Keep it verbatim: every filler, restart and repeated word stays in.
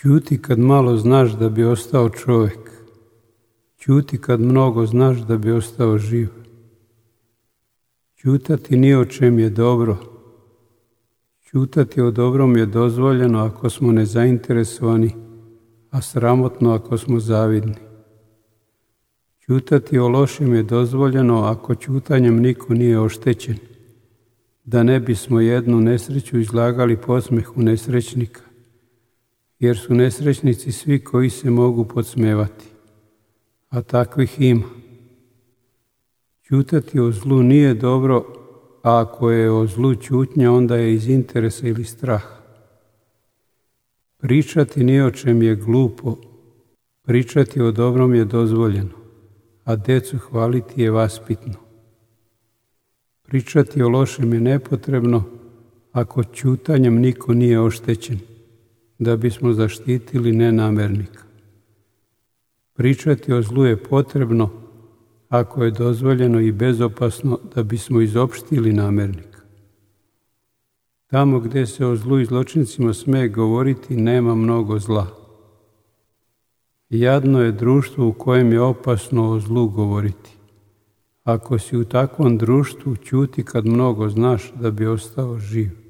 Ćuti kad malo znaš da bi ostao čovjek. Ćuti kad mnogo znaš da bi ostao živ. Ćutati ni o čem je dobro. Ćutati o dobrom je dozvoljeno ako smo nezainteresovani, a sramotno ako smo zavidni. Ćutati o lošem je dozvoljeno ako ćutanjem niko nije oštećen, da ne bismo jednu nesreću izlagali podsmehu nesrećnika, jer su nesrećnici svi koji se mogu podsmevati, a takvih ima. Ćutati o zlu nije dobro, a ako je o zlu ćutnja, onda je iz interesa ili straha. Pričati ni o čem je glupo, pričati o dobrom je dozvoljeno, a decu hvaliti je vaspitno. Pričati o lošem je nepotrebno, ako ćutanjem niko nije oštećen, da bismo zaštitili nenamernika. Pričati o zlu je potrebno, ako je dozvoljeno i bezopasno, da bismo izopštili namernika. Tamo gdje se o zlu i zločincima sme govoriti, nema mnogo zla. Jadno je društvo u kojem je opasno o zlu govoriti. Ako si u takvom društvu, ćuti kad mnogo znaš da bi ostao živ.